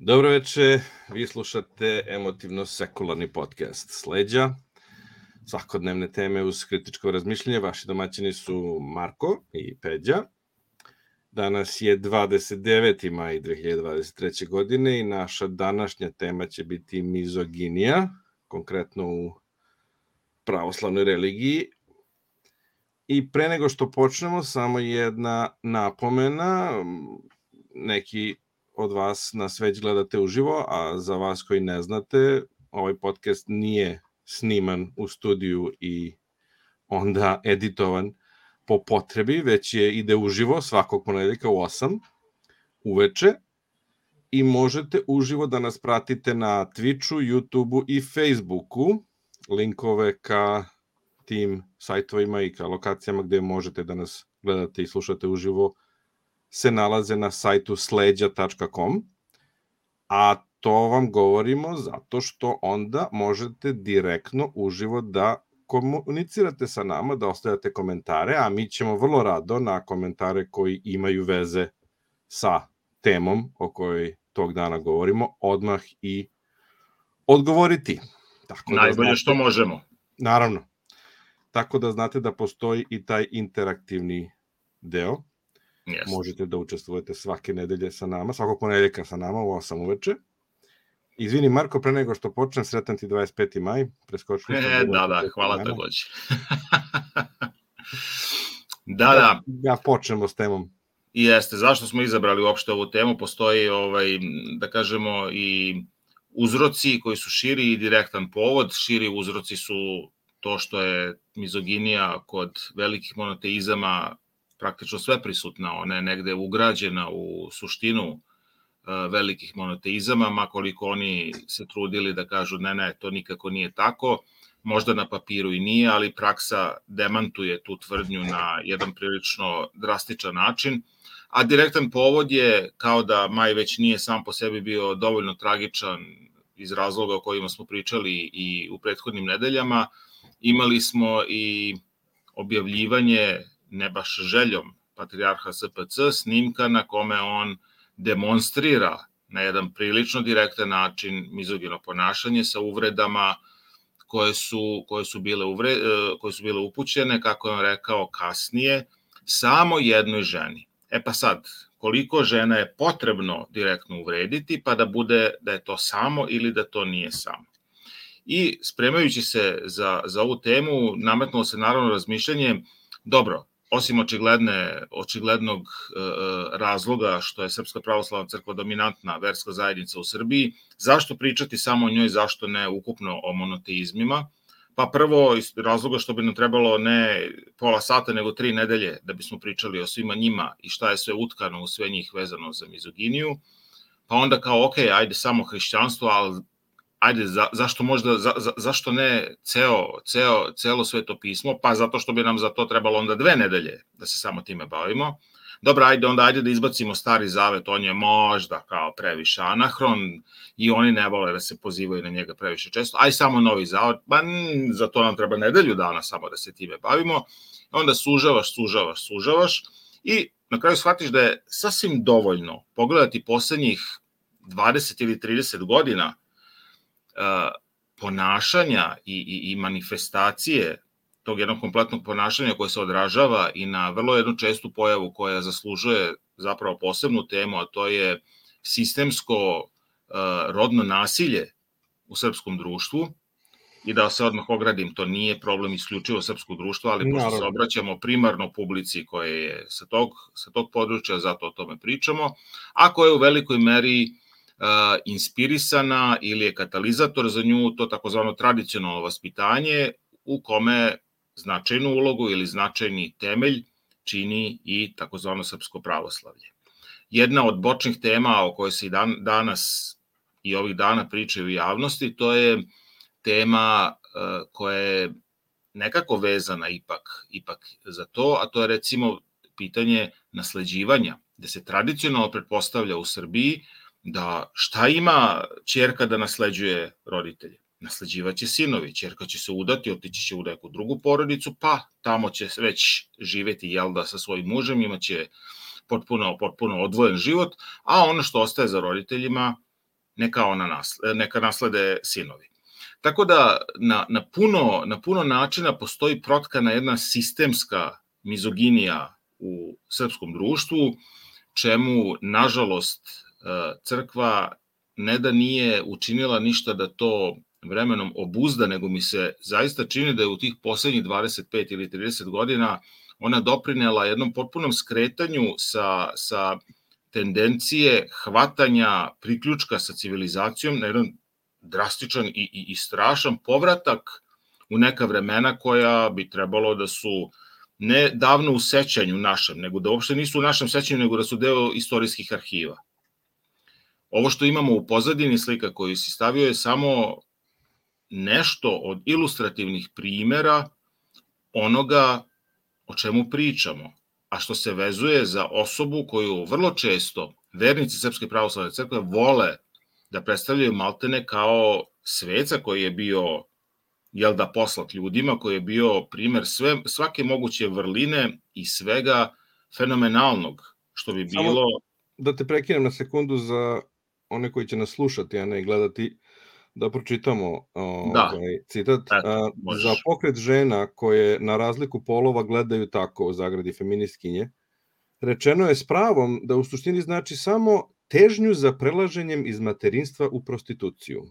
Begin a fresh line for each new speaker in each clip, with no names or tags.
Dobro veče, vi slušate emotivno-sekularni podcast Sleđa. Svakodnevne teme uz kritičko razmišljanje. Vaši domaćini su Marko i Peđa. Danas je 29. maj 2023. godine i naša današnja tema će biti mizoginija, konkretno u pravoslavnoj religiji. I pre nego što počnemo, samo jedna napomena. Neki od vas nas već gledate uživo, a za vas koji ne znate, ovaj podcast nije sniman u studiju i onda editovan po potrebi, već ide uživo svakog ponedeljka u 8 uveče i možete uživo da nas pratite na Twitchu, YouTubeu i Facebooku. Linkove ka tim sajtovima i ka lokacijama gde možete da nas gledate i slušate uživo se nalaze na sajtu sleđa.com, a to vam govorimo zato što onda možete direktno uživo da komunicirate sa nama, da ostavljate komentare, a mi ćemo vrlo rado na komentare koji imaju veze sa temom o kojoj tog dana govorimo odmah i odgovoriti.
Tako najbolje da znate, što možemo.
Naravno. Tako da znate da postoji i taj interaktivni deo.
Yes.
Možete da učestvujete svake nedelje sa nama, svakog ponedeljka sa nama u 8 uveče. Izvini Marko, pre nego što počnem, sretan ti 25. maj. Preskočili smo.
Da, hvala takođe. Da.
Ja počnemo s temom.
Jeste, zašto smo izabrali uopšte ovu temu? Postoji, da kažemo, i uzroci koji su širi i direktan povod. Širi uzroci su to što je mizoginija kod velikih monoteizama praktično sve prisutna, ona je negde ugrađena u suštinu velikih monoteizama, makoliko oni se trudili da kažu ne, to nikako nije tako, možda na papiru i nije, ali praksa demantuje tu tvrdnju na jedan prilično drastičan način, a direktan povod je kao da maj već nije sam po sebi bio dovoljno tragičan iz razloga o kojima smo pričali i u prethodnim nedeljama, imali smo i objavljivanje ne baš željom patrijarha SPC, snimka na kome on demonstrira na jedan prilično direktan način mizogino ponašanje sa uvredama koje su bile upućene, kako je on rekao kasnije, samo jednoj ženi. Pa sad, koliko žena je potrebno direktno uvrediti, pa da bude da je to samo ili da to nije samo. I spremajući se za ovu temu, nametnulo se naravno razmišljanje, dobro, osim očiglednog razloga što je Srpska pravoslavna crkva dominantna verska zajednica u Srbiji, zašto pričati samo o njoj, zašto ne ukupno o monoteizmima? Pa prvo iz razloga što bi nam trebalo ne pola sata nego 3 nedelje da bismo pričali o svima njima i šta je sve utkano u sve njih vezano za mizoginiju. Pa onda kao ok, ajde samo hrišćanstvo, ali ajde, zašto ne celo sveto pismo? Pa zato što bi nam za to trebalo onda 2 nedelje da se samo time bavimo. Dobro, ajde da izbacimo Stari Zavet, on je možda kao previše anahron i oni ne vole da se pozivaju na njega previše često. Aj samo Novi Zavet, pa za to nam treba nedelju dana samo da se time bavimo. Onda sužavaš i na kraju shvatiš da je sasvim dovoljno pogledati poslednjih 20 ili 30 godina ponašanja i manifestacije tog jednog kompletnog ponašanja koje se odražava i na vrlo jednu čestu pojavu koja zaslužuje zapravo posebnu temu, a to je sistemsko rodno nasilje u srpskom društvu. I da se odmah ogradim, to nije problem isključivo srpskog društva, ali pošto se obraćamo primarno publici koja je sa tog područja, zato o tome pričamo, a koja je u velikoj meri inspirisana ili je katalizator za nju to takozvano tradicionalno vaspitanje u kome značajnu ulogu ili značajni temelj čini i takozvano srpsko pravoslavlje. Jedna od bočnih tema o kojoj se i danas i ovih dana pričaju u javnosti, to je tema koja je nekako vezana ipak za to, a to je recimo pitanje nasleđivanja, gde se tradicionalno pretpostavlja u Srbiji da šta ima ćerka da nasleđuje roditelje? Nasleđivaće sinovi, ćerka će se udati, otići će u neku drugu porodicu, pa tamo će već živeti sa svojim mužem, imaće potpuno odvojen život, a ono što ostaje za roditeljima neka naslede sinovi. Tako da na puno načina postoji protkana jedna sistemska mizoginija u srpskom društvu, čemu, nažalost, crkva ne da nije učinila ništa da to vremenom obuzda, nego mi se zaista čini da je u tih poslednjih 25 ili 30 godina ona doprinela jednom potpunom skretanju sa tendencije hvatanja priključka sa civilizacijom na jedan drastičan i strašan povratak u neka vremena koja bi trebalo da su ne davno u sećanju našem, nego da uopšte nisu u našem sećanju, nego da su deo istorijskih arhiva. Ovo što imamo u pozadini slika koju si stavio je samo nešto od ilustrativnih primera onoga o čemu pričamo, a što se vezuje za osobu koju vrlo često vernici Srpske pravoslavne crkve vole da predstavljaju maltene kao sveca koji je bio poslat ljudima, koji je bio primer svake moguće vrline i svega fenomenalnog, što bi bilo...
Samo da te prekinem na sekundu za one koji će nas slušati, a ne gledati, da pročitamo citat. Za pokret žena koje na razliku polova gledaju tako, u zagradi feministkinje, rečeno je s pravom da u suštini znači samo težnju za prelaženjem iz materinstva u prostituciju.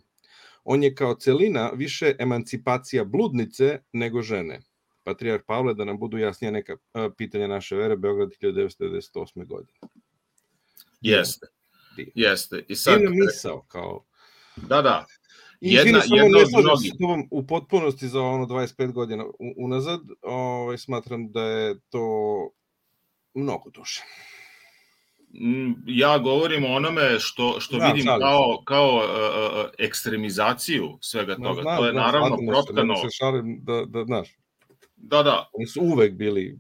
On je kao celina više emancipacija bludnice nego žene. Patrijarh Pavle, da nam budu jasnija neka pitanja naše vere, Beograd 1998. godine.
Jeste. I sad...
misao, kao...
Da.
Jedna od mnogih. U potpunosti za 25 godina unazad, smatram da je to mnogo duže.
Ja govorim o onome što vidim kao ekstremizaciju svega toga. To je naravno protkano...
Se šalim da znaš.
Da.
Oni su uvek bili...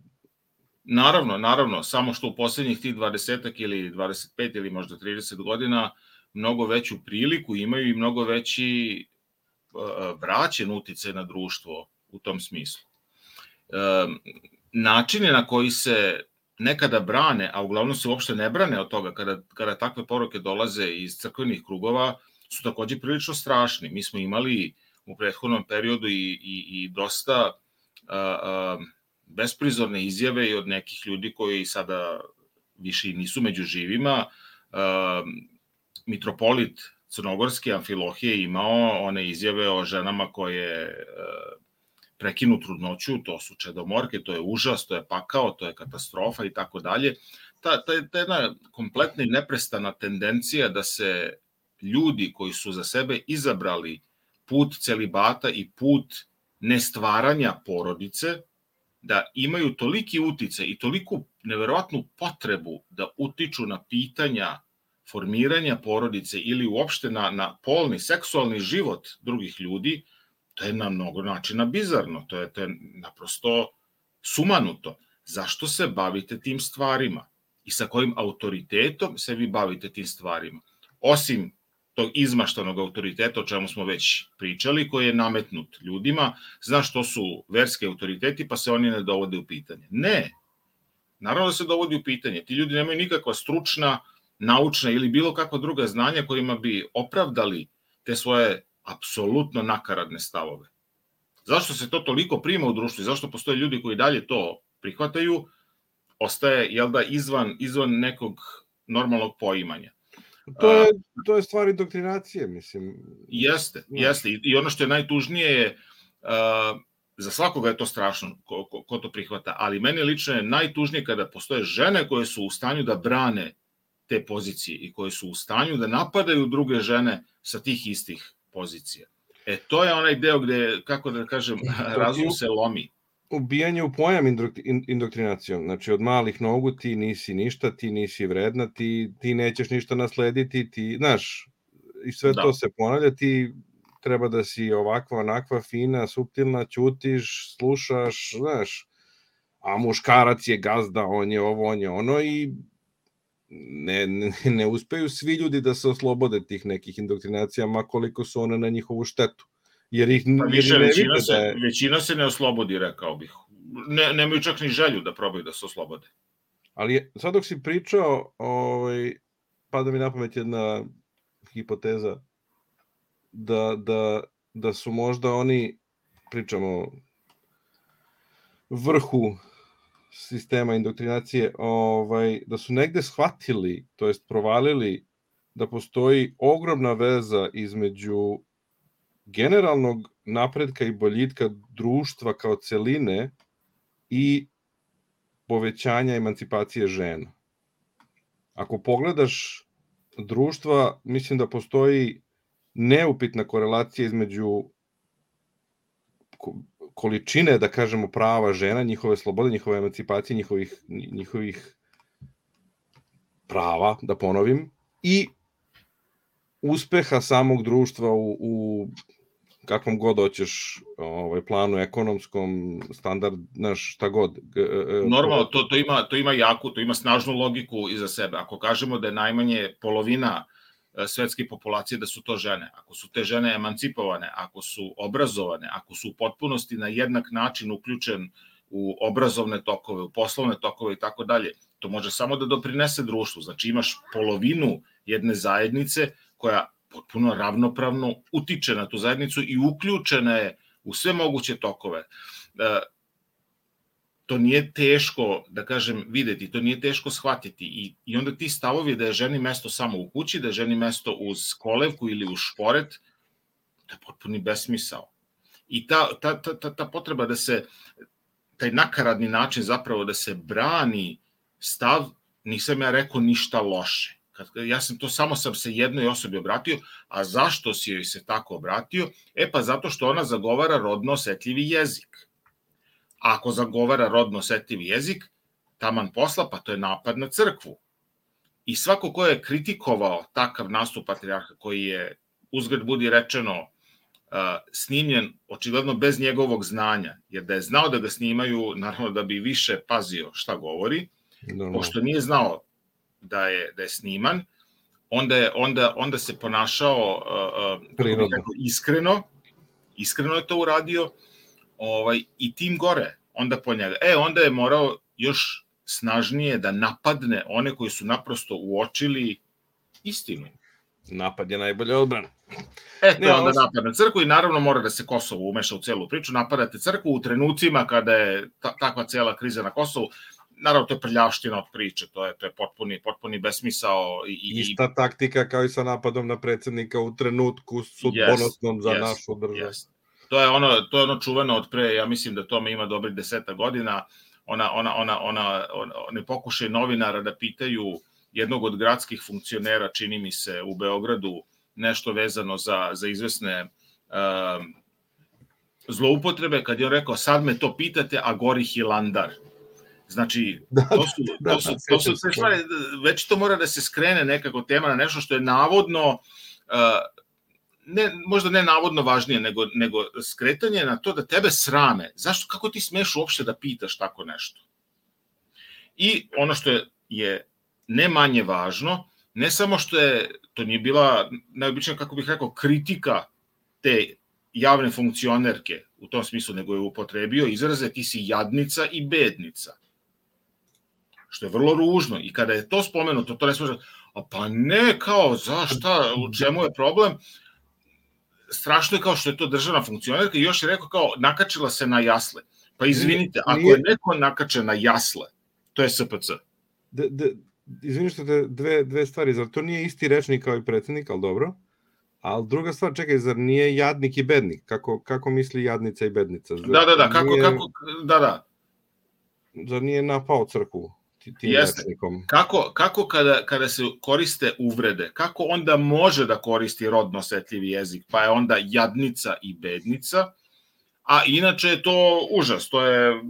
Naravno, samo što u poslednjih tih 20 ili 25 ili možda 30 godina mnogo veću priliku imaju i mnogo veći vraćen uticaj na društvo u tom smislu. Načine na koji se nekada brane, a uglavnom se uopšte ne brane od toga kada takve poruke dolaze iz crkvenih krugova, su takođe prilično strašni. Mi smo imali u prethodnom periodu i dosta besprizorne izjave i od nekih ljudi koji sada više nisu među živima. Mitropolit Crnogorski Amfilohije imao one izjave o ženama koje prekinu trudnoću, to su čedomorke, to je užas, to je pakao, to je katastrofa i tako dalje. Ta jedna kompletna i neprestana tendencija da se ljudi koji su za sebe izabrali put celibata i put nestvaranja porodice, da imaju toliki uticaj i toliku neverovatnu potrebu da utiču na pitanja formiranja porodice ili uopšte na polni, seksualni život drugih ljudi, to je na mnogo načina bizarno, to je naprosto sumanuto. Zašto se bavite tim stvarima? I sa kojim autoritetom se vi bavite tim stvarima? Osim tog izmaštanog autoriteta, o čemu smo već pričali, koji je nametnut ljudima, znaš što su verski autoriteti, pa se oni ne dovode u pitanje. Ne, naravno da se dovodi u pitanje. Ti ljudi nemaju nikakva stručna, naučna ili bilo kakva druga znanja kojima bi opravdali te svoje apsolutno nakaradne stavove. Zašto se to toliko prima u društvu i zašto postoje ljudi koji dalje to prihvataju, ostaje, izvan nekog normalnog poimanja.
To je stvar indoktrinacije, mislim.
Jeste. I ono što je najtužnije je, za svakoga je to strašno ko to prihvata, ali meni lično je najtužnije kada postoje žene koje su u stanju da brane te pozicije i koje su u stanju da napadaju druge žene sa tih istih pozicija. To je onaj deo gde, kako da kažem, razum se lomi.
Ubijanje u pojam indoktrinacijom. Znači, od malih nogu ti nisi ništa, ti nisi vredna, ti nećeš ništa naslediti, ti, znaš, i sve to se ponavlja, ti treba da si ovakva, onakva, fina, suptilna, ćutiš, slušaš, znaš, a muškarac je gazda, on je ovo, on je ono i ne uspeju svi ljudi da se oslobode tih nekih indoktrinacija, ma koliko su one na njihovu štetu. Jer ih ne vide da je...
Većina se ne oslobodi, rekao bih. Nemaju čak ni želju da probaju da se oslobode.
Ali sad dok si pričao, pada mi na pamet jedna hipoteza da su možda oni, pričamo vrhu sistema indoktrinacije, da su negde shvatili, to jest provalili da postoji ogromna veza između generalnog napretka i boljitka društva kao celine i povećanja emancipacije žena. Ako pogledaš društva, mislim da postoji neupitna korelacija između količine, da kažemo, prava žena, njihove slobode, njihove emancipacije, njihovih prava, da ponovim, i uspeha samog društva u kakvom god hoćeš planu ekonomskom, standard, šta god.
Normalno, to ima snažnu logiku iza sebe. Ako kažemo da je najmanje polovina svetske populacije da su to žene, ako su te žene emancipovane, ako su obrazovane, ako su u potpunosti na jednak način uključen u obrazovne tokove, u poslovne tokove i tako dalje, to može samo da doprinese društvu. Znači imaš polovinu jedne zajednice koja potpuno ravnopravno utiče na tu zajednicu i uključena je u sve moguće tokove. To nije teško, da kažem, videti, to nije teško shvatiti i onda ti stavovi da je ženi mesto samo u kući, da je ženi mesto uz kolevku ili uz šporet, to je potpuni besmisao. I ta potreba da se, taj nakaradni način zapravo da se brani stav, nisam ja rekao ništa loše. Ja sam se jednoj osobi obratio, a zašto si joj se tako obratio? Pa zato što ona zagovara rodno osetljivi jezik. A ako zagovara rodno osetljivi jezik, taman posla, pa to je napad na crkvu. I svako ko je kritikovao takav nastup patrijarha, koji je, uzgred budi rečeno, snimljen očigledno bez njegovog znanja, jer da je znao da ga snimaju, naravno da bi više pazio šta govori, pošto nije znao da je sniman, onda se ponašao iskreno je to uradio, i tim gore, onda po njega. Onda je morao još snažnije da napadne one koji su naprosto uočili istinu.
Napad je najbolja odbrana.
To je onda napad na crkvu i naravno mora da se Kosovo umeša u celu priču. Napadate crkvu u trenucima kada je takva cela kriza na Kosovu. Naravno, to je prljavština od priče, to je potpuni besmisao.
Ista taktika kao i sa napadom na predsjednika u trenutku sudbonosnom za našu državu.
To je ono čuveno od pre, ja mislim da tome ima dobrih 10 godina, one pokušaje novinara da pitaju jednog od gradskih funkcionera, čini mi se, u Beogradu, nešto vezano za izvesne zloupotrebe, kad je on rekao, sad me to pitate, a gori Hilandar. Znači, to su sve stvari, već to mora da se skrene nekako tema na nešto što je navodno, možda ne navodno važnije, nego skretanje na to da tebe srame. Zašto, kako ti smeš uopšte da pitaš tako nešto? I ono što je ne manje važno, ne samo što to nije bila, najobičnija, kako bih rekao, kritika te javne funkcionerke u tom smislu, nego je upotrebio izraze ti si jadnica i bednica. Što je vrlo ružno. I kada je to spomenuto, to ne smije, pa ne, kao, zašta, u čemu je problem? Strašno je kao što je to državna funkcionerka i još je rekao kao nakačila se na jasle. Pa izvinite, ako je neko nakačen na jasle, to je SPC.
Izvini što te dve stvari, zar to nije isti rečnik kao i predsjednik, ali dobro? Ali druga stvar, čekaj, zar nije jadnik i bednik? Kako misli jadnica i bednica?
Da, kako.
Zar nije napao crkvu tim rečnikom?
Kako kada se koriste uvrede, kako onda može da koristi rodno osetljivi jezik, pa je onda jadnica i bednica, a inače je to užas, to je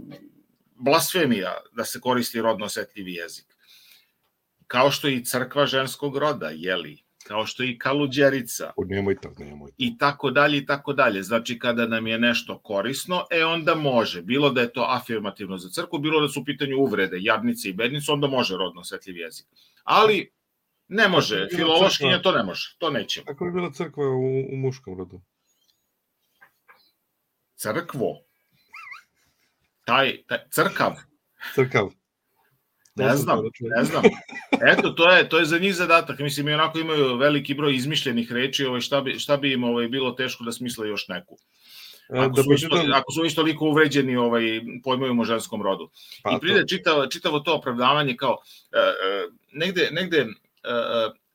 blasfemija da se koristi rodno osetljivi jezik. Kao što i crkva ženskog roda, jeli? Kao što i kaluđerica.
Nemoj.
I tako dalje. Znači, kada nam je nešto korisno, onda može. Bilo da je to afirmativno za crkvu, bilo da su u pitanju uvrede, jadnice i bednice, onda može rodno osetljiv jezik. Ali ne može, filološkinja to ne može, to nećemo.
Kako je bila crkva u muškom rodu?
Crkvo. Crkav.
Crkav.
Ne znam. Eto, to je za njih zadatak. Mislim, i onako imaju veliki broj izmišljenih reči, šta bi im bilo teško da smisle još neku. Ako su isto toliko uvređeni pojmovima o ženskom rodu. I pride čitavo to opravdavanje kao negde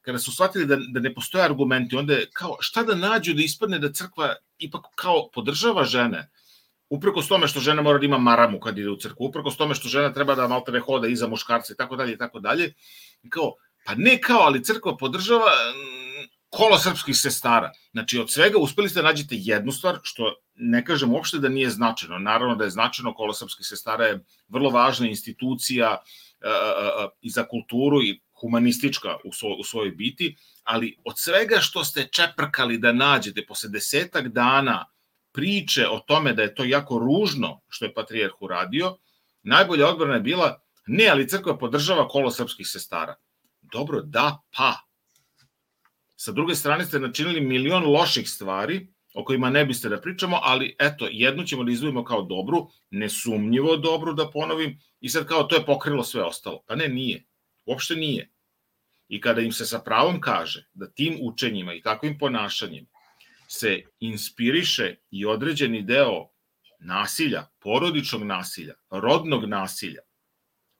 kada su shvatili da ne postoje argumenti, onda je kao šta da nađu da ispadne da crkva ipak kao podržava žene, uprkos tome što žena mora da ima maramu kad ide u crkvu, uprkos tome što žena treba da maltene hoda iza muškarca i tako dalje, kao, pa ne kao, ali crkva podržava kolo srpskih sestara. Znači, od svega uspeli ste da nađete jednu stvar, što ne kažem uopšte da nije značajno. Naravno da je značajno, kolo srpskih sestara je vrlo važna institucija i za kulturu i humanistička u svojoj biti, ali od svega što ste čeprkali da nađete posle 10 dana priče o tome da je to jako ružno što je patrijarh uradio, najbolja odbrana je bila, ne, ali crkva podržava kolo srpskih sestara. Dobro, da, pa. Sa druge strane ste načinili milion loših stvari o kojima ne biste da pričamo, ali eto, jednu ćemo da izdvojimo kao dobru, nesumnjivo dobru, da ponovim, i sad kao to je pokrilo sve ostalo. Pa ne, nije. Uopšte nije. I kada im se sa pravom kaže da tim učenjima i takvim ponašanjem se inspiriše i određeni deo nasilja, porodičnog nasilja, rodnog nasilja,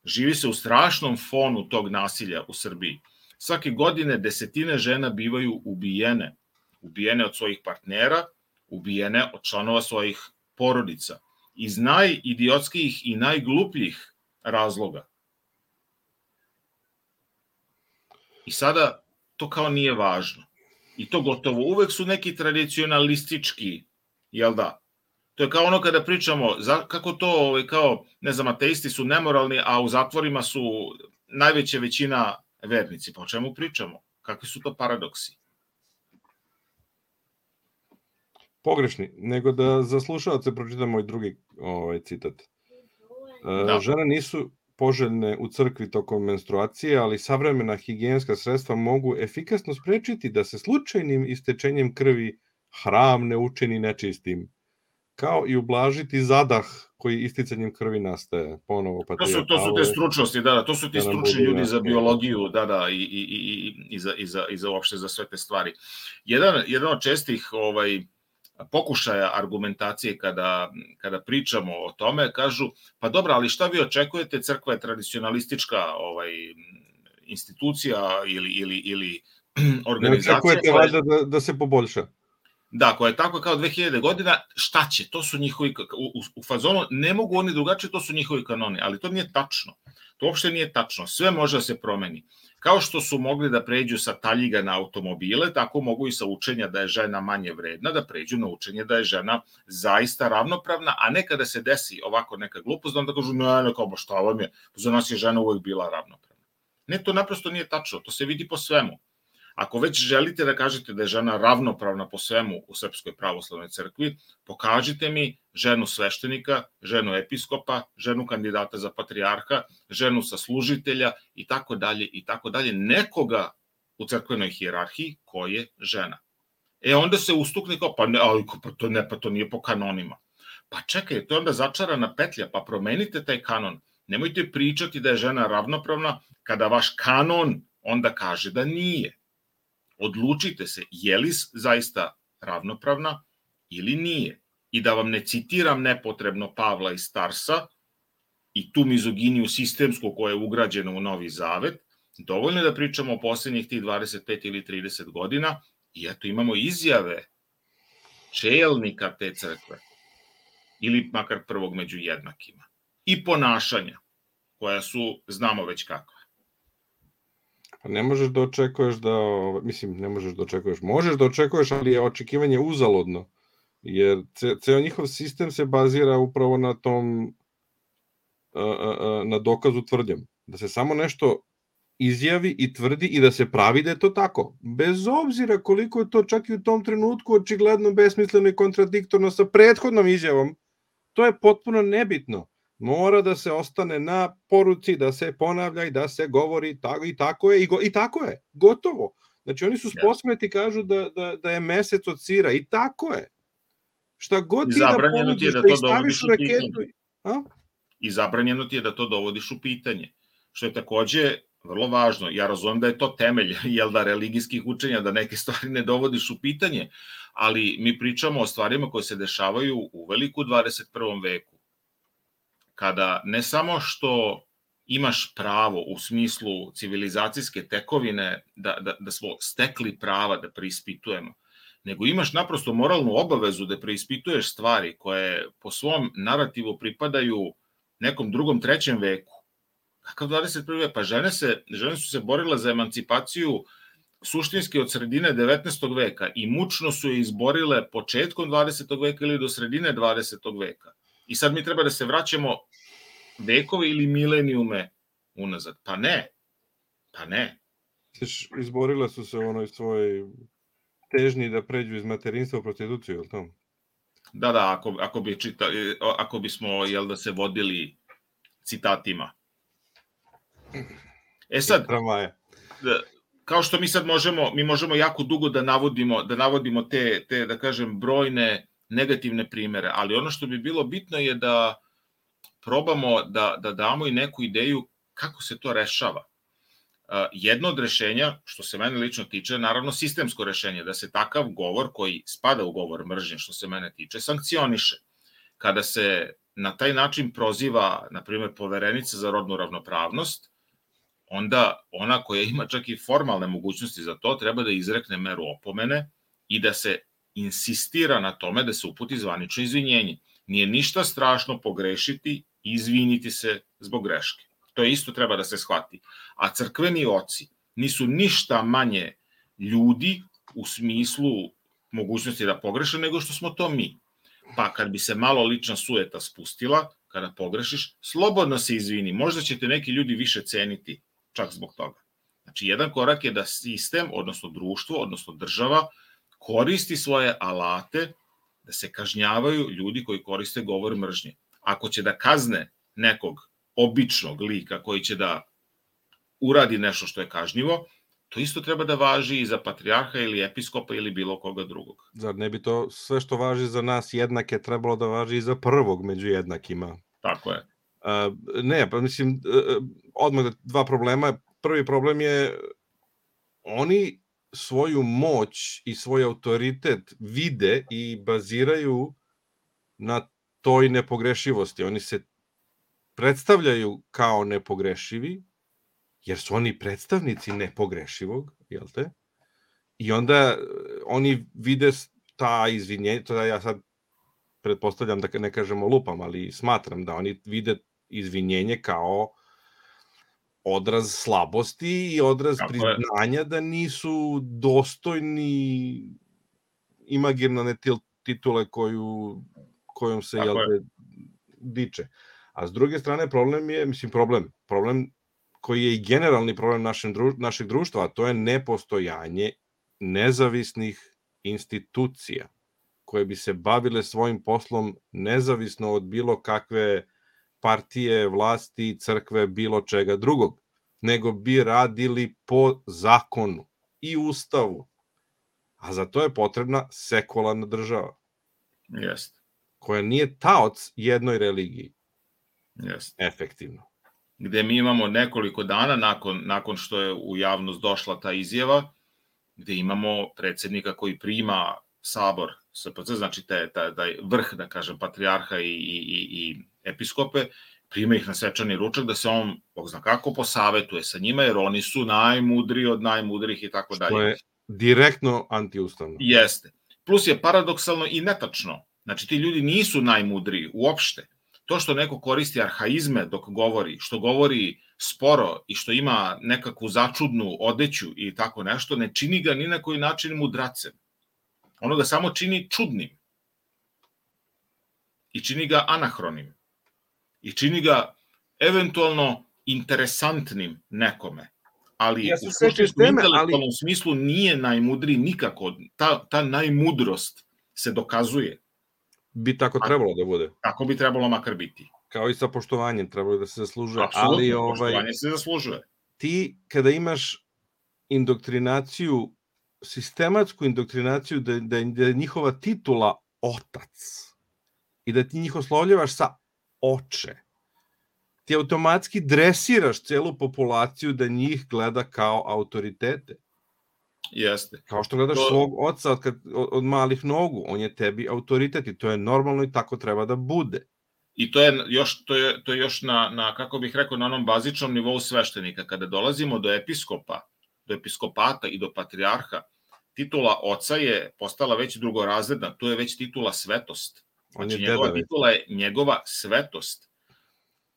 živi se u strašnom fonu tog nasilja u Srbiji. Svake godine desetine žena bivaju ubijene. Ubijene od svojih partnera, ubijene od članova svojih porodica. Iz najidiotskijih i najglupljih razloga. I sada to kao nije važno. I to gotovo uvek su neki tradicionalistički, jel da? To je kao ono kada pričamo, kako to, kao, ne znam, ateisti su nemoralni, a u zatvorima su najveća većina vernici. Pa o čemu pričamo? Kakvi su to paradoksi?
Pogrešni, nego da za slušalce pročitam moj drugi citat. Žene nisu poželjne u crkvi tokom menstruacije, ali savremena higijenska sredstva mogu efikasno sprečiti da se slučajnim istečenjem krvi hram ne učini nečistim, kao i ublažiti zadah koji isticanjem krvi nastaje. Ponovo
to su te stručnosti, to su ti stručni ljudi za biologiju, i za uopšte za sve te stvari. Jedan od čestih pokušaja argumentacije kada pričamo o tome, kažu, pa dobro, ali šta vi očekujete, crkva je tradicionalistička institucija ili organizacija.
Ne očekujete valjda da se poboljša.
Da, koja je tako kao 2000 godina, šta će, to su njihovi, u fazonu, ne mogu oni drugačije, to su njihovi kanoni, ali to nije tačno. To uopšte nije tačno, sve može da se promeni. Kao što su mogli da pređu sa taljiga na automobile, tako mogu i sa učenja da je žena manje vredna, da pređu na učenje da je žena zaista ravnopravna, a ne kada se desi ovako neka glupost, onda kažu, ne, kao, šta vam je, za nas je žena uvek bila ravnopravna. Ne, to naprosto nije tačno, to se vidi po svemu. Ako već želite da kažete da je žena ravnopravna po svemu u Srpskoj pravoslavnoj crkvi, pokažite mi ženu sveštenika, ženu episkopa, ženu kandidata za patrijarha, ženu saslužitelja i tako dalje, nekoga u crkvenoj hijerarhiji ko je žena. Onda se ustukne kao, pa to nije po kanonima. Pa čekaj, to je onda začarana petlja, pa promenite taj kanon. Nemojte pričati da je žena ravnopravna kada vaš kanon onda kaže da nije. Odlučite se, je li zaista ravnopravna ili nije. I da vam ne citiram nepotrebno Pavla iz Tarsa i tu mizoginiju sistemsku koja je ugrađena u Novi Zavet, dovoljno je da pričamo o poslednjih tih 25 ili 30 godina i eto imamo izjave čelnika te crkve ili makar prvog među jednakima i ponašanja koja su, znamo već kakva.
Ne možeš da očekuješ možeš da očekuješ, ali je očekivanje uzaludno, jer ceo njihov sistem se bazira upravo na tom, na dokazu tvrdnjom, da se samo nešto izjavi i tvrdi i da se pravi da je to tako, bez obzira koliko je to čak i u tom trenutku očigledno besmisleno i kontradiktorno sa prethodnom izjavom, to je potpuno nebitno. Mora da se ostane na poruci, da se ponavlja i da se govori i tako je, gotovo. Znači oni su sposobni ti kažu da je mesec od sira i tako je. Šta god ti da ponudiš, da ih staviš u raketu.
I zabranjeno ti je da to dovodiš u pitanje. što je takođe vrlo važno. Ja razumem da je to temelj, religijskih učenja, da neke stvari ne dovodiš u pitanje, ali mi pričamo o stvarima koje se dešavaju u veliku 21. veku. Kada ne samo što imaš pravo u smislu civilizacijske tekovine da smo stekli prava da preispitujemo, nego imaš naprosto moralnu obavezu da preispituješ stvari koje po svom narativu pripadaju nekom drugom, trećem veku. Kakav 21. vek? Pa žene su se borile za emancipaciju suštinski od sredine 19. veka i mučno su je izborile početkom 20. veka ili do sredine 20. veka. I sad mi treba da se vraćamo vekove ili milenijume unazad. Pa ne.
Izborile su se u onoj svojoj težnji da pređu iz materinstva u prostituciju, ili to?
Da, ako bismo, da se vodili citatima. Sad, kao što mi sad možemo jako dugo da navodimo te, da kažem, brojne negativne primere, ali ono što bi bilo bitno je da probamo da damo i neku ideju kako se to rešava. Jedno od rešenja, što se mene lično tiče, naravno sistemsko rešenje, da se takav govor koji spada u govor mržnje, što se mene tiče, sankcioniše. Kada se na taj način proziva, na primjer, Poverenica za rodnu ravnopravnost, onda ona koja ima čak i formalne mogućnosti za to treba da izrekne meru opomene i da se insistira na tome da se uputi zvanično izvinjenje. Nije ništa strašno pogrešiti i izviniti se zbog greške. To isto treba da se shvati. A crkveni oci nisu ništa manje ljudi u smislu mogućnosti da pogreše nego što smo to mi. Pa kad bi se malo lična sujeta spustila, kada pogrešiš, slobodno se izvini. Možda će te neki ljudi više ceniti čak zbog toga. Znači, jedan korak je da sistem, odnosno društvo, odnosno država, koristi svoje alate da se kažnjavaju ljudi koji koriste govor mržnje. Ako će da kazne nekog običnog lika koji će da uradi nešto što je kažnjivo, to isto treba da važi i za patrijarha ili episkopa ili bilo koga drugog.
Zar ne bi to sve što važi za nas jednake trebalo da važi i za prvog među jednakima?
Tako je.
Ne, pa mislim, odmah dva problema. Prvi problem je, oni svoju moć i svoj autoritet vide i baziraju na toj nepogrešivosti. Oni se predstavljaju kao nepogrešivi, jer su oni predstavnici nepogrešivog, jel te? I onda oni vide ta izvinjenja, to ja sad pretpostavljam da ne kažemo lupam, ali smatram da oni vide izvinjenje kao odraz slabosti i odraz priznanja da nisu dostojni imaginarne titule kojom se diče. A s druge strane problem je, problem koji je i generalni problem našeg društva, a to je nepostojanje nezavisnih institucija koje bi se bavile svojim poslom nezavisno od bilo kakve partije, vlasti, crkve, bilo čega drugog, nego bi radili po zakonu i ustavu. A za to je potrebna sekularna država.
Jeste.
Koja nije taoc jednoj religiji.
Jeste.
Efektivno.
Gde mi imamo nekoliko dana nakon što je u javnost došla ta izjava, gde imamo predsjednika koji prima sabor SPC, znači taj vrh, da kažem, patrijarha i episkope, prima ih na svečani ručak da se on, Bog zna kako, posavetuje sa njima, jer oni su najmudriji od najmudrih i tako dalje.
Što je direktno antiustavno.
Jeste. Plus je paradoksalno i netačno. Znači, ti ljudi nisu najmudriji uopšte. To što neko koristi arhaizme dok govori, što govori sporo i što ima nekakvu začudnu odeću i tako nešto, ne čini ga ni na koji način mudracem. Ono ga samo čini čudnim. I čini ga anahronim. I čini ga eventualno interesantnim nekome. Ali u suštinskom intelektualnom smislu nije najmudriji nikako. Ta najmudrost se dokazuje.
Bi tako trebalo da bude.
Tako bi trebalo makar biti.
Kao i sa poštovanjem, trebalo da se zaslužuje.
Apsolutno, poštovanje se zaslužuje.
Ti, kada imaš indoktrinaciju, sistematsku indoktrinaciju da je njihova titula otac i da ti njih oslovljavaš sa oče, ti automatski dresiraš celu populaciju da njih gleda kao autoritete.
Jeste.
Kao što gledaš svog oca od malih nogu, on je tebi autoritet i to je normalno i tako treba da bude.
I to je još na kako bih rekao, na onom bazičnom nivou sveštenika. Kada dolazimo do episkopa, do episkopata i do patrijarha, titula oca je postala već drugorazredna, to je već titula svetost. Znači, njegova titula je njegova svetost.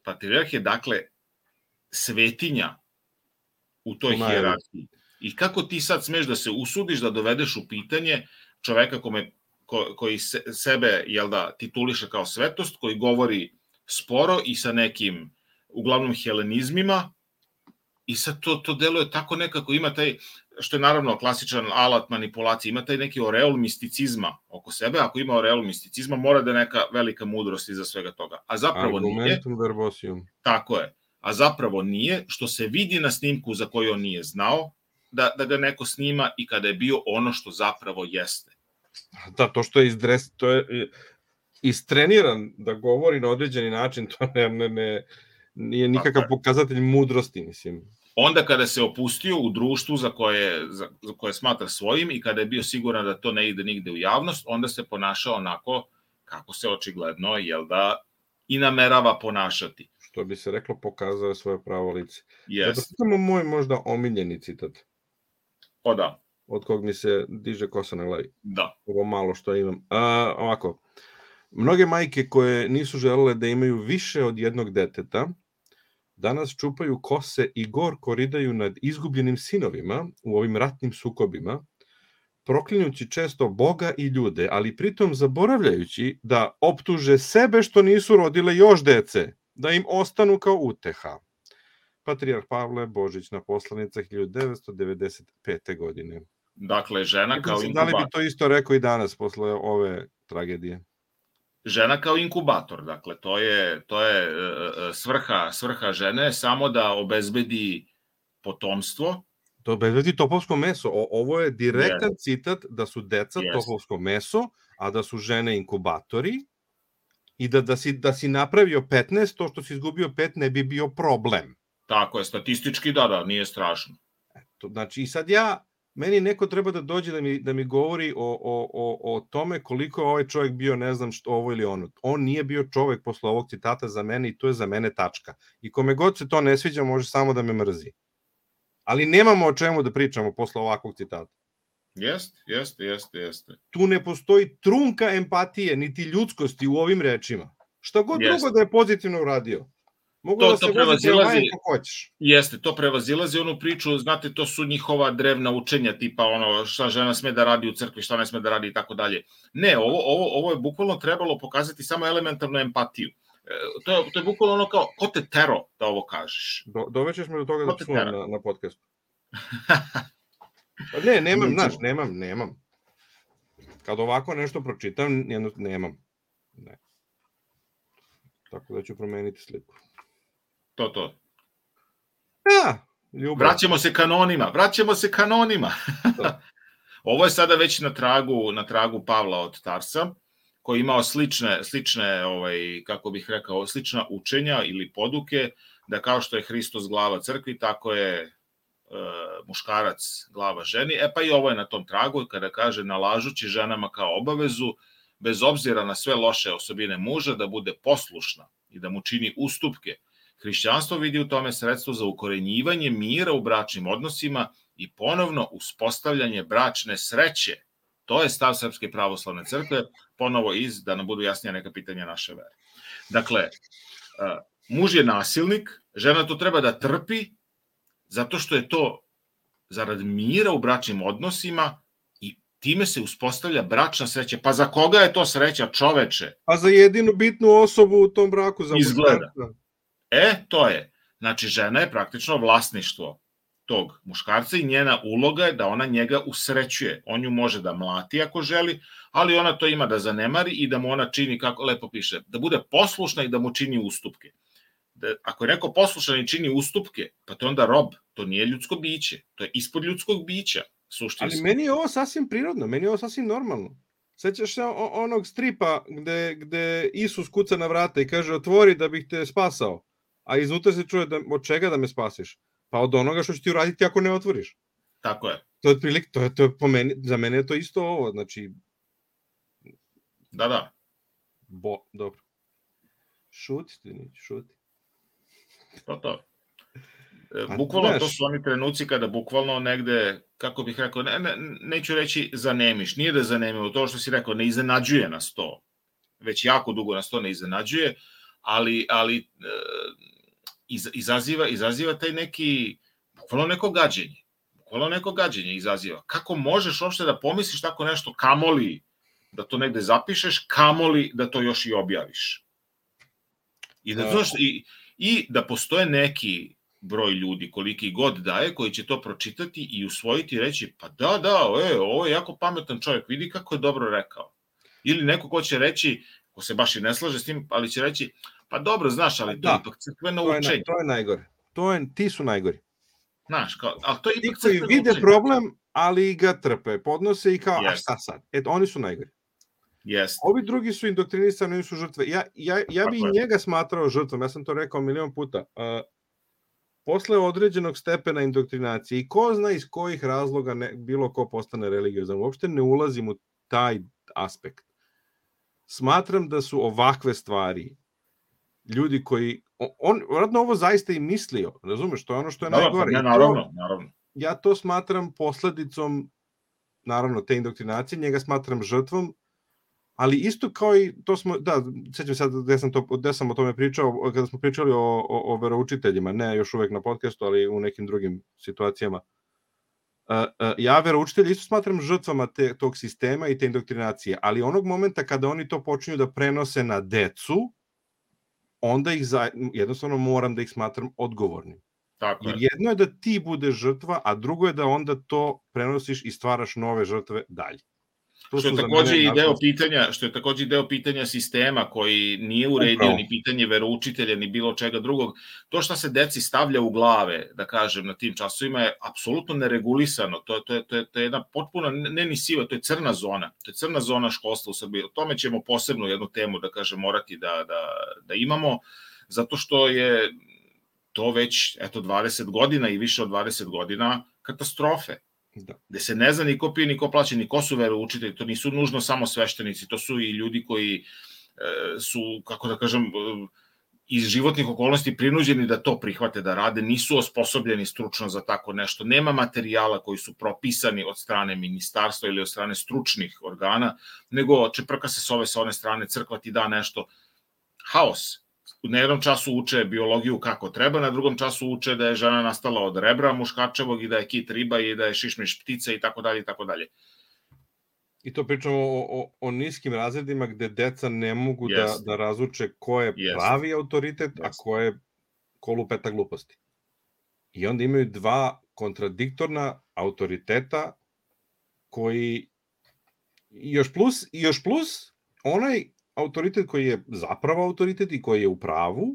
Patrijarh je, dakle, svetinja u toj hijerarhiji. I kako ti sad smeš da se usudiš da dovedeš u pitanje čoveka koji sebe, jel da, tituliše kao svetost, koji govori sporo i sa nekim, uglavnom, helenizmima, i sad to deluje tako nekako, ima taj, što je naravno klasičan alat manipulacije, ima taj neki oreol misticizma oko sebe. Ako ima oreol misticizma, mora da je neka velika mudrost iza svega toga. A zapravo nije.
Argumentum verbosium.
Tako je. A zapravo nije, što se vidi na snimku za koju on nije znao da ga neko snima i kada je bio ono što zapravo jeste.
Da, to što je istreniran da govori na određeni način, to nije nikakav pokazatelj mudrosti, mislim.
Onda kada se opustio u društvu za koje smatra svojim i kada je bio siguran da to ne ide nigde u javnost, onda se ponašao onako kako se očigledno, jel da, i namerava ponašati.
Što bi se reklo, pokazao je svoje pravo lice.
Yes.
Da samo moj možda omiljeni citat.
O da.
Od kog mi se diže kosa na glavi.
Da.
Ovo malo što imam. Ovako, mnoge majke koje nisu želele da imaju više od jednog deteta, danas čupaju kose i gorko ridaju nad izgubljenim sinovima u ovim ratnim sukobima, proklinjući često Boga i ljude, ali pritom zaboravljajući da optuže sebe što nisu rodile još dece, da im ostanu kao uteha. Patrijarh Pavle Božić na poslanica 1995. godine.
Dakle, žena kao inkubator.
Da li bi to isto rekao i danas posle ove tragedije?
Žena kao inkubator, dakle, to je svrha žene, samo da obezbedi potomstvo.
Da obezbedi topovsko meso. Ovo je direktan citat da su deca topovsko meso, a da su žene inkubatori i da si napravio 15, to što si izgubio 5 ne bi bio problem.
Tako je, statistički da, nije strašno.
Znači, i sad meni neko treba da dođe da mi govori o tome koliko je ovaj čovjek bio, ne znam što, ovo ili ono. On nije bio čovjek posle ovog citata za mene i to je za mene tačka. I kome god se to ne sviđa, može samo da me mrzi. Ali nemamo o čemu da pričamo posle ovakvog citata.
Jeste.
Tu ne postoji trunka empatije, niti ljudskosti u ovim rečima. Šta god drugo da je pozitivno uradio. Mogu da se voziti kako hoćeš.
Jeste, to prevazilazi onu priču, znate, to su njihova drevna učenja, tipa ono šta žena sme da radi u crkvi, šta ne sme da radi i tako dalje. Ne, ovo je bukvalno trebalo pokazati samo elementarnu empatiju. To je bukvalno ono kao, ko te tero da ovo kažeš?
Dovećeš me do toga da čuvam na podcastu. Ne, nemam. Kad ovako nešto pročitam, nemam. Ne. Tako da ću promeniti sliku.
To.
Da, ljubav.
Vraćamo se kanonima. Ovo je sada već na tragu Pavla od Tarsa, koji je imao slične, kako bih rekao, slična učenja ili poduke, da kao što je Hristos glava crkvi, tako je muškarac glava ženi. Pa i ovo je na tom tragu, kada kaže nalažući ženama kao obavezu, bez obzira na sve loše osobine muža, da bude poslušna i da mu čini ustupke. Hrišćanstvo vidi u tome sredstvo za ukorenjivanje mira u bračnim odnosima i ponovno uspostavljanje bračne sreće. To je stav Srpske pravoslavne crkve, ponovo da nam budu jasnija neka pitanja naše vere. Dakle, muž je nasilnik, žena to treba da trpi, zato što je to zarad mira u bračnim odnosima i time se uspostavlja bračna sreća. Pa za koga je to sreća, čoveče?
Pa za jedinu bitnu osobu u tom braku.
Izgleda. To je. Znači, žena je praktično vlasništvo tog muškarca i njena uloga je da ona njega usrećuje. On ju može da mlati ako želi, ali ona to ima da zanemari i da mu ona čini, kako lepo piše, da bude poslušna i da mu čini ustupke. Ako je neko poslušan i čini ustupke, pa to je onda rob, to nije ljudsko biće, to je ispod ljudskog bića, suštinski.
Ali meni je ovo sasvim prirodno, meni je ovo sasvim normalno. Sećaš se onog stripa gde Isus kuca na vrata i kaže otvori da bih te spasao, a iznutra se čuje od čega da me spasiš? Pa od onoga što će ti uraditi ako ne otvoriš.
Tako je.
To je otprilike, to je po meni, za mene je to isto ovo, znači...
Da.
Dobro. Šuti.
To. Bukvalno to su oni trenuci kada bukvalno negde, kako bih rekao, neću reći zanemiš, nije da zanemimo, to što si rekao, ne iznenađuje nas to, već jako dugo nas to ne iznenađuje, ali izaziva taj neki, bukvalno neko gađenje izaziva. Kako možeš uopšte da pomisliš tako nešto, kamoli da to negde zapišeš, kamoli da to još i objaviš. I da postoje neki broj ljudi, koliki god daje, koji će to pročitati i usvojiti i reći, pa ovo je jako pametan čovjek, vidi kako je dobro rekao. Ili neko ko će reći, ko se baš i ne slaže s tim, ali će reći, pa dobro, znaš, ali to je ipak crkveno učenje.
To je najgore. Ti su najgori.
Znaš, ali to je ipak
crkveno učenje. Ti koji vide problem, ali ga trpe, podnose i kao, a šta sad? Oni su najgori. Ovi drugi su indoktrinisani, oni su žrtve. Ja bi i njega smatrao žrtvom, ja sam to rekao milion puta. Posle određenog stepena indoktrinacije i ko zna iz kojih razloga bilo ko postane religiozan, uopšte ne ulazim u taj aspekt. Smatram da su ovakve stvari ljudi koji... On vratno ovo zaista i mislio, razumeš, to je ono što je najgore.
Naravno.
Ja to smatram posledicom, naravno, te indoktrinacije, njega smatram žrtvom, ali isto kao i to smo, sećam sad gde sam o tome pričao, kada smo pričali o veroučiteljima, ne još uvek na podcastu, ali u nekim drugim situacijama. Ja veroučitelji isto smatram žrtvama tog sistema i te indoktrinacije, ali onog momenta kada oni to počinju da prenose na decu, onda jednostavno moram da ih smatram odgovornim.
Tako je.
Jer jedno je da ti budeš žrtva, a drugo je da onda to prenosiš i stvaraš nove žrtve dalje.
Što je takođe i deo pitanja sistema koji nije uredio ni pitanje veroučitelja ni bilo čega drugog. To što se deci stavlja u glave, da kažem, na tim časovima je apsolutno neregulisano. To je jedna potpuno, ne ni siva, to je crna zona. To je crna zona školstva u Srbiji. O tome ćemo posebno jednu temu, da kažem, morati da imamo, zato što je to već 20 godina i više od 20 godina katastrofe. Gde se ne zna ni ko pije, ni ko plaća, ni ko su veroučitelji, to nisu nužno samo sveštenici, to su i ljudi koji su, kako da kažem, iz životnih okolnosti prinuđeni da to prihvate, da rade, nisu osposobljeni stručno za tako nešto, nema materijala koji su propisani od strane ministarstva ili od strane stručnih organa, nego čeprka se s ove sa one strane, crkva ti da nešto, haos. Na jednom času uče biologiju kako treba, na drugom času uče da je žena nastala od rebra muškačevog i da je kit riba i da je šišmiš ptica i tako dalje i tako dalje.
I to pričamo o niskim razredima gde deca ne mogu da razluče ko je pravi autoritet, a ko lupeta gluposti. I onda imaju dva kontradiktorna autoriteta koji još plus onaj autoritet koji je zapravo autoritet i koji je u pravu,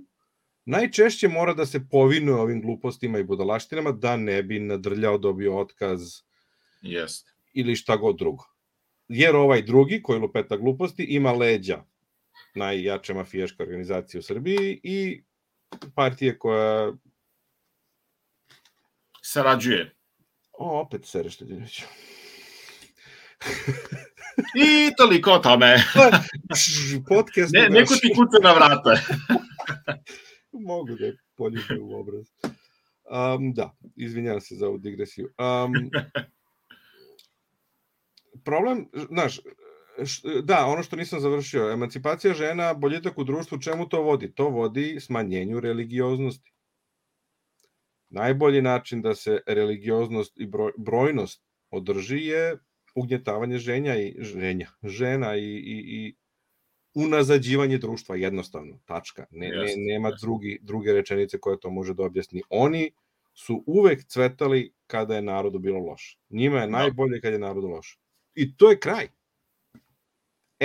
najčešće mora da se povinuje ovim glupostima i budalaštinama da ne bi nadrljao, dobio otkaz ili šta god drugo. Jer ovaj drugi, koji lupeta gluposti, ima leđa najjače mafijaške organizacije u Srbiji i partije koja...
sarađuje.
Opet sereš te, Dinoviću.
I toliko o tome.
Podcast.
Neko ti kuca na vrata.
Mogu da je poljubio u obraz. Da, izvinjam se za ovu digresiju. Problem, znaš, ono što nisam završio, emancipacija žena, boljitak u društvu, čemu to vodi? To vodi smanjenju religioznosti. Najbolji način da se religioznost i brojnost održi je ugnjetavanje žena i unazađivanje društva, jednostavno, tačka. Nema druge rečenice koja to može da objasni. Oni su uvek cvetali kada je narodu bilo loše. Njima je najbolje kad je narodu loše. I to je kraj.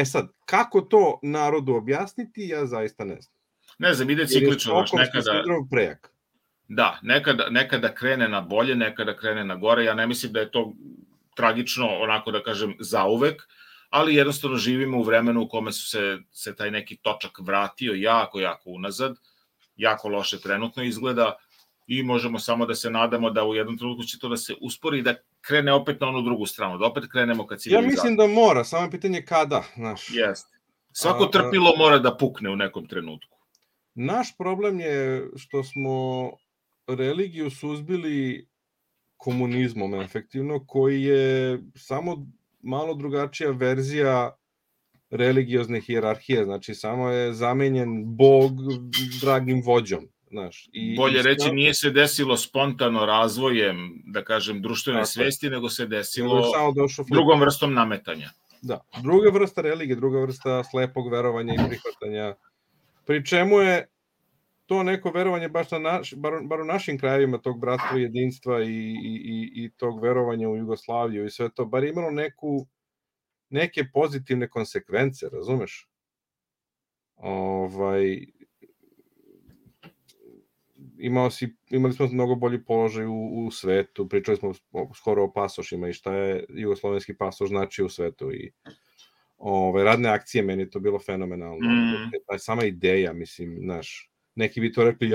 Sad, kako to narodu objasniti, ja zaista ne znam.
Ne znam, ide ciklično.
Prejak.
Da, nekada krene na bolje, nekada krene na gore. Ja ne mislim da je to tragično, onako da kažem, zauvek, ali jednostavno živimo u vremenu u kome se taj neki točak vratio jako unazad jako loše trenutno izgleda i možemo samo da se nadamo da u jednom trenutku će to da se uspori i da krene opet na onu drugu stranu, da opet krenemo ka civilizaciji.
Ja mislim da mora, samo je pitanje kada, znaš.
Jeste. Svako trpilo mora da pukne u nekom trenutku.
Naš problem je što smo religiju suzbili komunizmom efektivno, koji je samo malo drugačija verzija religiozne hijerarhije, znači samo je zamenjen Bog dragim vođom. Znaš,
bolje reći, nije se desilo spontano razvojem, da kažem, društvene svesti, nego se desilo drugom vrstom nametanja.
Da, druga vrsta religije, druga vrsta slepog verovanja i prihvatanja, pri čemu je to neko verovanje baš bar u našim krajevima tog bratstva, jedinstva i tog verovanja u Jugoslaviju i sve to, bar imalo neke pozitivne konsekvence, razumeš? Imali smo mnogo bolji položaj u svetu, pričali smo skoro o pasošima i šta je jugoslovenski pasoš znači u svetu i radne akcije, meni je to bilo fenomenalno. Sama ideja, mislim, znaš, neki bi to rekli,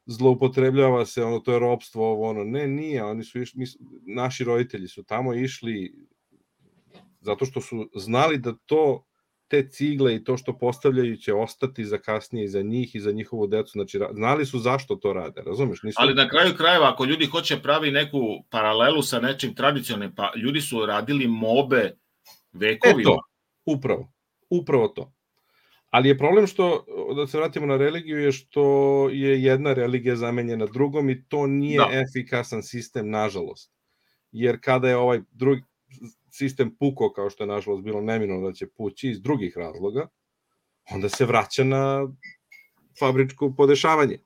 zloupotrebljava se, to je ropstvo, ne, nije, oni su išli, naši roditelji su tamo išli zato što su znali da te cigle i to što postavljaju će ostati za kasnije i za njih i za njihovu decu, znači znali su zašto to rade, razumeš?
Ali na kraju krajeva, ako ljudi hoće pravi neku paralelu sa nečim tradicionalnim, pa ljudi su radili mobe vekovima.
Upravo to. Ali je problem što, da se vratimo na religiju, je što je jedna religija zamenjena drugom i to nije efikasan sistem, nažalost. Jer kada je ovaj drugi sistem pukao, kao što je nažalost bilo neminovno da će pući iz drugih razloga, onda se vraća na fabričko podešavanje.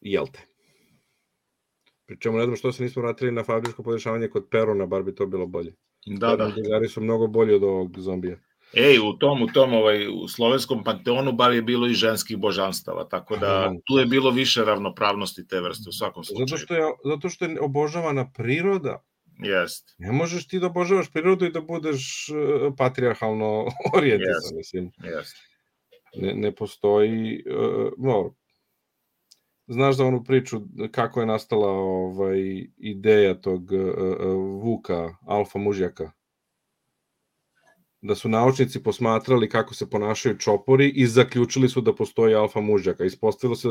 Jel te? Pričemu ne znam što se nismo vratili na fabričko podešavanje kod Perona, bar bi to bilo bolje.
Da.
Drugari su mnogo bolji od ovog zombija.
U slovenskom panteonu bar je bilo i ženskih božanstava, tako da tu je bilo više ravnopravnosti te vrste u svakom slučaju.
Zato što je obožavana priroda.
Jest.
Ne možeš ti da obožavaš prirodu i da budeš patrijarhalno orijentisan, mislim. Ne postoji, znaš za onu priču kako je nastala ideja tog Vuka, alfa mužjaka? Da su naučnici posmatrali kako se ponašaju čopori i zaključili su da postoji alfa mužjaka. Ispostavilo se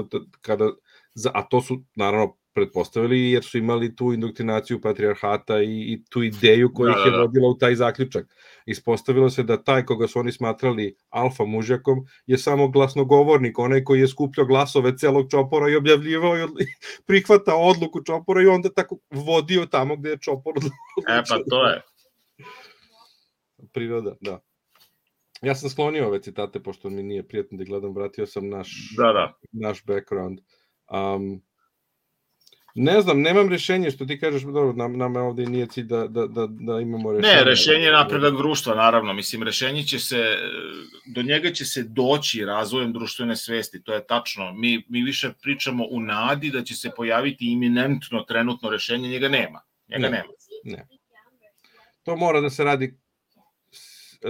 a to su naravno pretpostavili jer su imali tu indoktrinaciju patrijarhata i tu ideju koja ih je vodila u taj zaključak. Ispostavilo se da taj koga su oni smatrali alfa mužjakom je samo glasnogovornik, onaj koji je skupljao glasove celog čopora i objavljivao i prihvatao odluku čopora i onda tako vodio tamo gde je čopor odlučio.
Pa to je.
Priroda, da. Ja sam sklonio ove citate, pošto mi nije prijatno da gledam, vratio sam naš background. Ne znam, nemam rešenje, što ti kažeš, dobro, nama ovde nije cilj da imamo rešenje.
Ne, rešenje je napredak društva, naravno, mislim, rešenje će se, do njega će se doći razvojem društvene svesti, to je tačno. Mi više pričamo u nadi da će se pojaviti iminentno trenutno rešenje, njega nema.
Ne. To mora da se radi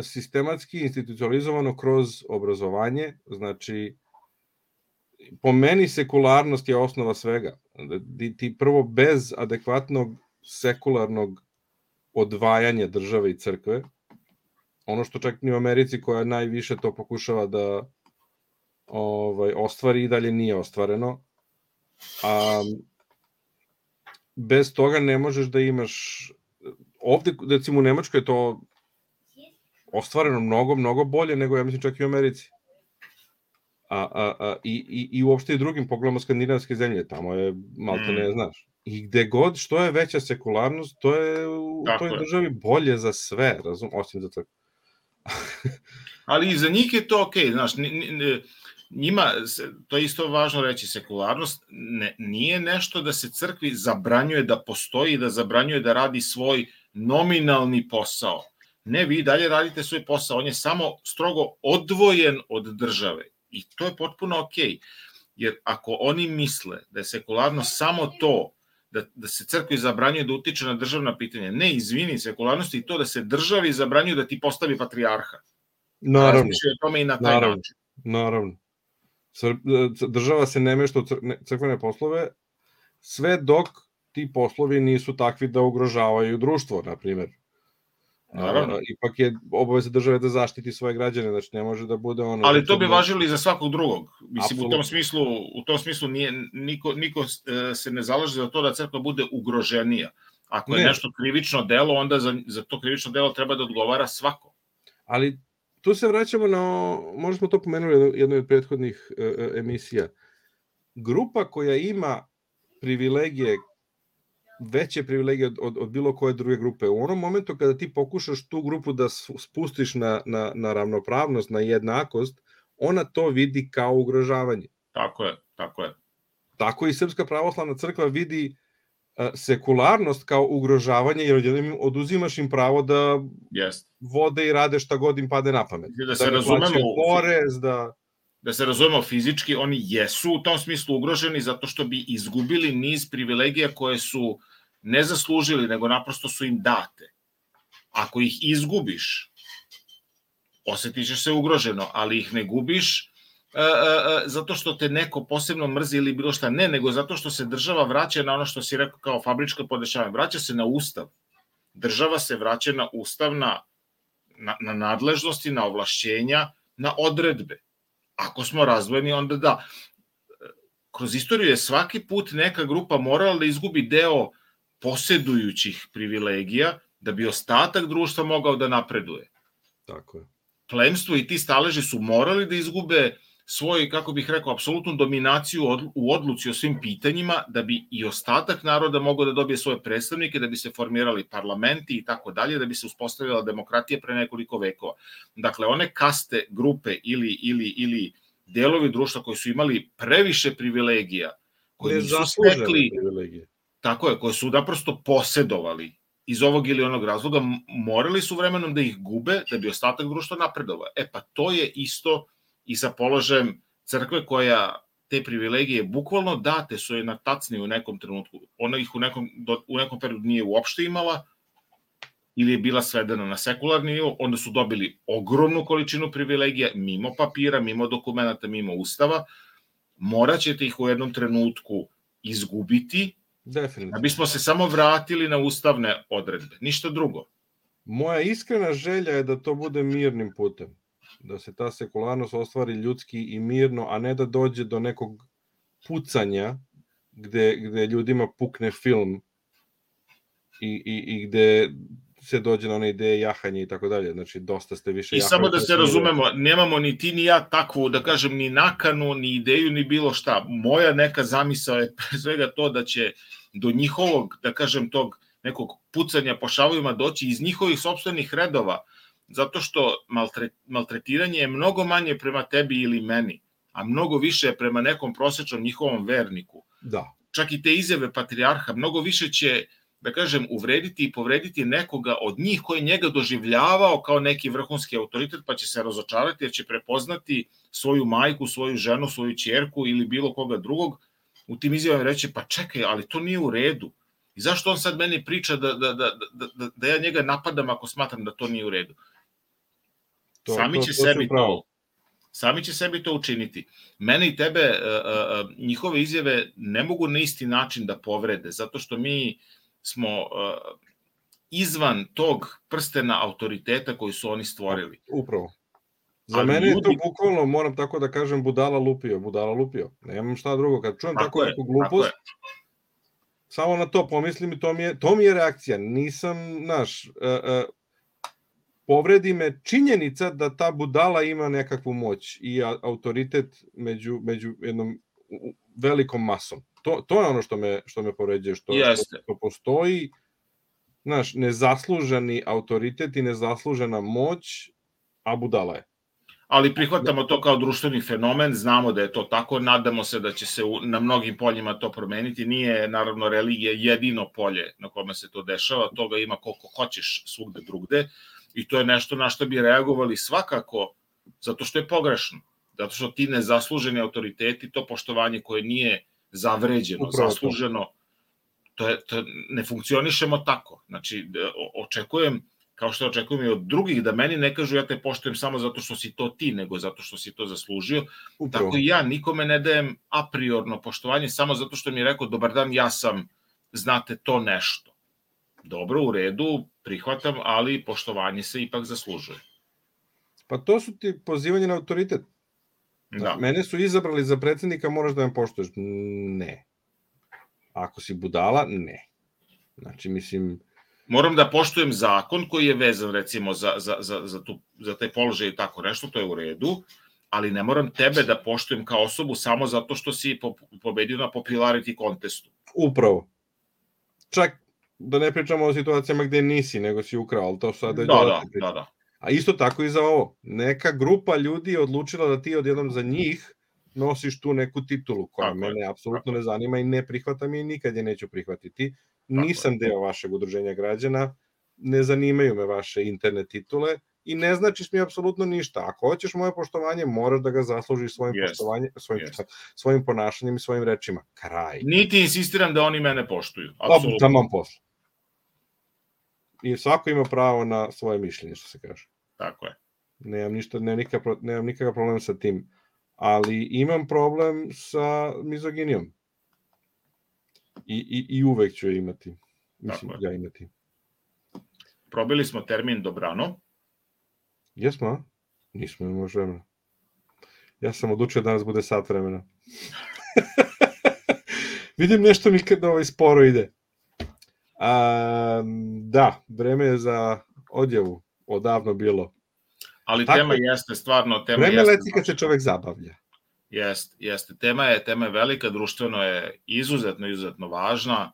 sistematski, institucionalizovano kroz obrazovanje, znači po meni sekularnost je osnova svega. Ti prvo bez adekvatnog sekularnog odvajanja države i crkve, ono što čak ni u Americi koja najviše to pokušava da ostvari i dalje nije ostvareno, bez toga ne možeš da imaš, ovde recimo u Nemačkoj je to ostvareno mnogo bolje nego, ja mislim, čak i u Americi. I uopšte i drugim, pogledamo skandinavske zemlje, tamo je malta ne znaš. I gde god, što je veća sekularnost, to je u toj državi bolje za sve, osim za crkvu.
Ali i za njih je to okej, znaš, njima, to je isto važno reći, sekularnost nije nešto da se crkvi zabranjuje da postoji, da zabranjuje da radi svoj nominalni posao. Ne, vi dalje radite svoj posao, on je samo strogo odvojen od države. I to je potpuno okej. Jer ako oni misle da je sekularnost samo to, da se crkvi zabranjuje da utiče na državna pitanja, ne, izvini, sekularnost je to da se državi zabranjuje da ti postavi patrijarha.
Naravno.
Razmišljaju o tome i na taj način.
Naravno. Država se ne mešta u crkvene poslove, sve dok ti poslovi nisu takvi da ugrožavaju društvo, na primjer.
Naravno.
Ipak je obaveza države da zaštiti svoje građane, znači ne može da bude ono...
Ali to bi važilo i za svakog drugog. Mislim,
Apsolutno.
u tom smislu niko se ne zalaže za to da crkva bude ugroženija. Ako je nešto krivično delo, onda za to krivično delo treba da odgovara svako.
Ali tu se vraćamo na, možda smo to pomenuli u jednoj od prethodnih emisija, grupa koja ima privilegije, veće privilegije od bilo koje druge grupe. U onom momentu kada ti pokušaš tu grupu da spustiš na ravnopravnost, na jednakost, ona to vidi kao ugrožavanje.
Tako je.
Tako i Srpska pravoslavna crkva vidi sekularnost kao ugrožavanje, jer odjednom oduzimaš im pravo da vode i rade šta god im pade na pamet.
Da se razumemo,
porez,
da se razumemo fizički, oni jesu u tom smislu ugroženi zato što bi izgubili niz privilegija koje su ne zaslužili, nego naprosto su im date. Ako ih izgubiš, osjetit ćeš se ugroženo, ali ih ne gubiš zato što te neko posebno mrzi ili bilo šta, ne, nego zato što se država vraća na ono što si rekao kao fabrička podešavanja, vraća se na ustav. Država se vraća na ustav, na nadležnosti, na ovlašćenja, na odredbe. Ako smo razdvojeni, onda da. Kroz istoriju je svaki put neka grupa morala da izgubi deo posjedujućih privilegija da bi ostatak društva mogao da napreduje.
Tako je.
Plemstvo i ti staleži su morali da izgube svoju, kako bih rekao, apsolutnu dominaciju u odluci o svim pitanjima, da bi i ostatak naroda mogao da dobije svoje predstavnike, da bi se formirali parlamenti i tako dalje, da bi se uspostavila demokratija pre nekoliko vekova. Dakle, one kaste, grupe ili delovi društva koji su imali previše privilegija, koji su stekli, tako je, koji su naprosto posedovali iz ovog ili onog razloga, morali su vremenom da ih gube, da bi ostatak društva napredovao. Pa to je isto i sa položajem crkve koja te privilegije bukvalno date su je na tacni u nekom trenutku. Ona ih u nekom periodu nije uopšte imala ili je bila svedena na sekularni nivo, onda su dobili ogromnu količinu privilegija mimo papira, mimo dokumenta, mimo ustava. Morat ćete ih u jednom trenutku izgubiti, da bismo se samo vratili na ustavne odredbe. Ništa drugo.
Moja iskrena želja je da to bude mirnim putem. Da se ta sekularnost ostvari ljudski i mirno, a ne da dođe do nekog pucanja gde ljudima pukne film i gde se dođe na one ideje jahanje i tako dalje. Znači, dosta ste više jahali.
I samo da se razumemo, nemamo ni ti ni ja takvu, da kažem, ni nakanu, ni ideju, ni bilo šta. Moja neka zamisao je pre svega to da će do njihovog, da kažem, tog nekog pucanja po šavovima doći iz njihovih sopstvenih redova, zato što maltretiranje je mnogo manje prema tebi ili meni, a mnogo više je prema nekom prosečnom njihovom verniku.
Da.
Čak i te izjave patrijarha, mnogo više će, da kažem, uvrediti i povrediti nekoga od njih koji njega doživljavao kao neki vrhunski autoritet, pa će se razočarati jer će prepoznati svoju majku, svoju ženu, svoju ćerku ili bilo koga drugog u tim izjavama reći, pa čekaj, ali to nije u redu. I zašto on sad meni priča da ja njega napadam ako smatram da to nije u redu? Sami će sebi to učiniti. Mene i tebe njihove izjave ne mogu na isti način da povrede, zato što mi smo izvan tog prstena autoriteta koji su oni stvorili.
Upravo. Za mene je to bukvalno, moram tako da kažem, budala lupio. Nemam šta drugo. Kad čujem tako neku glupost, samo na to pomislim i to mi je reakcija. Nisam, povredi me činjenica da ta budala ima nekakvu moć i autoritet među jednom velikom masom. To je ono što me povređuje, što postoji nezasluženi autoritet i nezaslužena moć, a budala je.
Ali prihvatamo to kao društveni fenomen, znamo da je to tako, nadamo se da će se na mnogim poljima to promeniti. Nije, naravno, religija jedino polje na kome se to dešava, toga ima koliko hoćeš svugde drugde i to je nešto na što bi reagovali svakako, zato što je pogrešno, zato što ti nezasluženi autoriteti, to poštovanje koje nije zavređeno, zasluženo, ne funkcionišemo tako. Znači, očekujem kao što očekujem i od drugih, da meni ne kažu ja te poštujem samo zato što si to ti, nego zato što si to zaslužio.
Upravo.
Tako i ja nikome ne dajem a priorno poštovanje samo zato što mi je rekao dobar dan, ja sam, znate, to nešto. Dobro, u redu, prihvatam, ali poštovanje se ipak zaslužuje.
Pa to su ti pozivanje na autoritet.
Da.
Mene su izabrali za predsjednika, moraš da me poštuješ. Ne. Ako si budala, ne. Znači, mislim...
Moram da poštujem zakon koji je vezan, recimo, za taj položaj i tako nešto, to je u redu, ali ne moram tebe da poštujem kao osobu samo zato što si pobedio na popularity contestu.
Upravo. Čak da ne pričamo o situacijama gde nisi, nego si ukrao, ali to sada je
Da.
A isto tako i za ovo. Neka grupa ljudi je odlučila da ti odjednom za njih nosiš tu neku titulu koja mene apsolutno ne zanima i ne prihvatam i nikad je neću prihvatiti. Nisam deo vašeg udruženja građana, ne zanimaju me vaše internet titule i ne značiš mi apsolutno ništa. Ako hoćeš moje poštovanje, moraš da ga zaslužiš svojim ponašanjem i svojim rečima. Kraj.
Niti insistiram da oni mene poštuju.
Taman posle. I svako ima pravo na svoje mišljenje, što se kaže.
Tako je.
Nemam nikakav problem sa tim. Ali imam problem sa mizoginijom. I uvek ću je imati. Mislim, ja imati.
Probili smo termin dobrano.
Jesmo, a? Nismo, ne može vremena. Ja sam odlučio da danas bude sat vremena. Vidim nešto mi kad sporo ide. Da, vreme je za odjavu. Odavno bilo.
Ali tema jeste stvarno...
Vreme leti kad se čovek zabavlja.
Jeste. Tema je velika, društveno je izuzetno važna.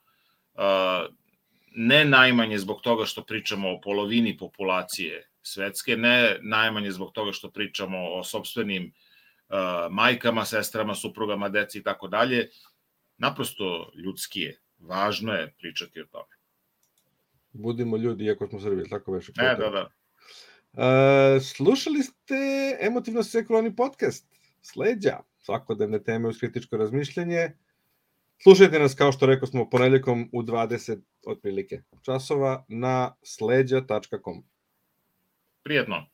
Ne najmanje zbog toga što pričamo o polovini populacije svetske, ne najmanje zbog toga što pričamo o sopstvenim majkama, sestrama, suprugama, deci i tako dalje. Naprosto ljudski je. Važno je pričati o tome.
Budimo ljudi, iako smo Srbi, tako veše.
Da.
Slušali ste Emotivno sekularni podcast Sleđa, svakodnevne teme uz kritičko razmišljanje. Slušajte nas, kao što rekao smo, ponedjeljkom u 20 otprilike časova na sleđa.com.
Prijetno.